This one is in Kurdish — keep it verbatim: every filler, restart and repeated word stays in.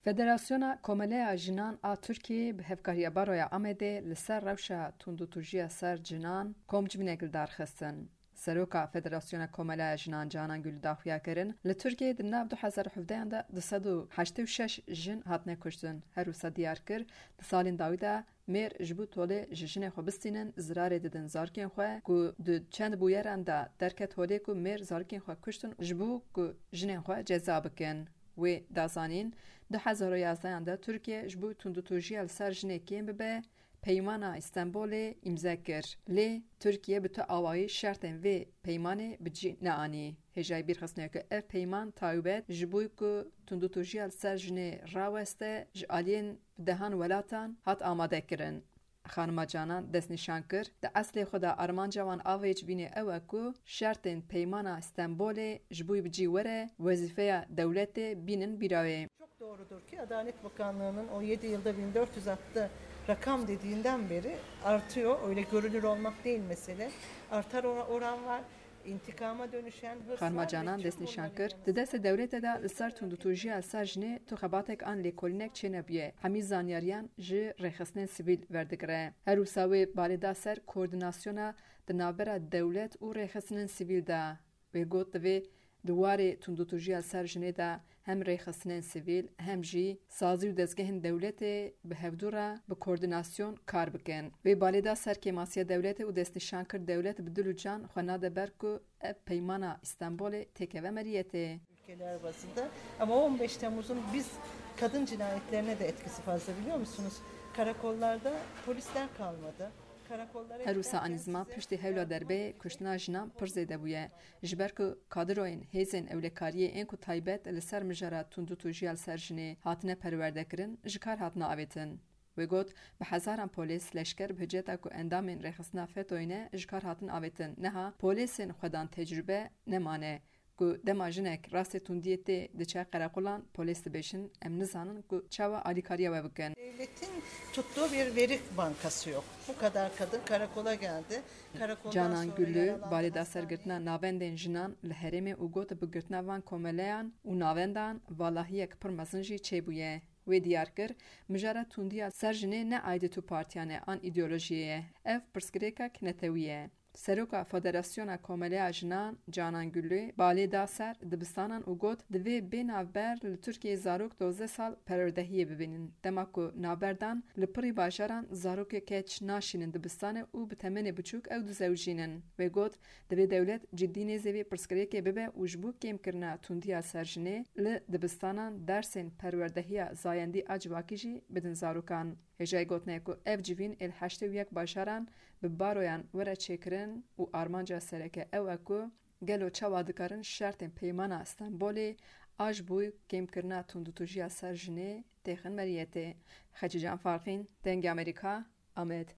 Federasyona Komeleya Jinan a Tirkiyeyê bi hevkariya Baroya Amedê li ser rewşa tundûtûjiya ser jinan komcivînek li dar xistin. Seroka Federasyona Komeleya Jinan Canan Gül daxuya kirin, li Tirkiyeyê di nav du hezar û hevdehan de du sed û heştê û şeş jin hatine kuştin. Her wisa diyar kir, di salên dawî de mêr ji bo tolê ji jinê xwe bistînin, zirarê didin zarokên xwe, ku di çend bûyeran de derket holê ku mêr zarokên xwe kuştin ji bo ku jinên xwe ceza bikin. Wê da zanîn, du hezar û yazdehan de Tirkiye ji bo tundûtûjiya li ser jinê kêm bibe, Peymana Îstenbolê îmze kir. Lê Tirkiye bi tu awayî şertên vê peymanê bi cî neanî. Hêjayî bîrxistinê ku ev peyman taybet ji bo ku tundûtûjiya li ser jinê raweste, ji aliyên bi dehan welatan hat amade kirin. Xanima Canan destnîşan kir, di eslê xwe de armanca wan a vê civînê ew e ku şertên Peymana Stenbolê ji bo bi cî were, wezîfeya dewletê bînin bîra wê. Çok doğrudur ki Adalet Bakanlığı'nın o yedi yılda bin dört yüz attı rakam dediğinden beri artıyor. Öyle görünür olmak değil mesele. Artar ora- oran var. İntikama dönüşen hırs Xanima var ve Canan tüm destnîşan bunların kir, yanı di destê dewletê de li ser tundûtûjiya ser jinê tu xebatek an lêkolînek çênebûye. Hemî zanyariyan ji rêxistinên sivîl verdigire. Her wisa wê balê da ser koordînasyona di navbera dewlet û rêxistinên sivîl de. Wê got, divê di warê tundûtûjiya ser jinê de hem rêxistinên sivîl, hem jî sazî û dezgehên dewletê bi hevdû re bi koordînasyon kar bikin. Wê balê da ser kêmasiya dewletê û destnîşan kir, dewlet bi dil û can xwe nade ber ku ev Peymana Îstenbolê têkeve meriyetê. Ülkeler bazında. Ama on beş Temmuz'un biz kadın cinayetlerine de etkisi fazla, biliyor musunuz? Karakollarda polisler kalmadı. Karakollara Her wisa giderken anî ziman size piştî hewla derbeyê kuştina jinan pir zêde bûye. Ji ber ku kadroyên hêzên ewlekariyê ên ku taybet li ser mijara tundûtûjiya li ser jinê hatine perwerdekirin, ji kar hatine avêtin. Wê got, bi hezaran polês, leşker bi hiceta ku endamên rêxistina FETÖ'yê ne ji kar hatin avêtin. Niha polêsên xwedan tecrûbe nemane. Ku dema jinek rastê tundiyê tê diçe qereqolan, polês dibêjin, em nizanin ku çawa alîkariya we bikin. Devletin tuttuğu bir veri bankası yok. Bu kadar kadın karakola geldi. Karakoldan Canan sonra Güllü yaralandı, balê da ser hastaneye girtina navendên jinan li herêmê û got, bi girtina van komeleyan û navendan valahiyek pir mezin jî çêbûye. Wê diyar kir, mijara tundiya ser jinê ne aidî tu partiyan e an îdeolojiyê ye. Ev pirsgirêkek netewî ye. Seroka Federasyona Komeleya Jinan Canan Güllü balê da ser dibistanan û got, divê bê navber li Tirkiyeyê zarok dozdeh sal perwerdehiyê bibînin. Dema ku navberdan li pirî bajaran zarokê keç naşînin dibistanê û bi temenê biçûk ew dizewicînin. Wê got, divê dewlet ciddî nêzê vê pirsgirêkê bibe û ji bo kêmkirina tundiya ser jinê li dibistanan dersên perwerdehiya zayendî a civakî jî bidin zarokan. Hêjayî gotinê ku ev civîn ê li heştê û yek bajaran bi baroyan were çêkirin û armanca sereke ew e ku gelo çawa dikarin şertên Peymana Stenbolê a ji bo kêmkirina tundûtûjiya ser jinê têxin meriyetê. Xecîcan Farqîn, Dengê Amerîka, Amed.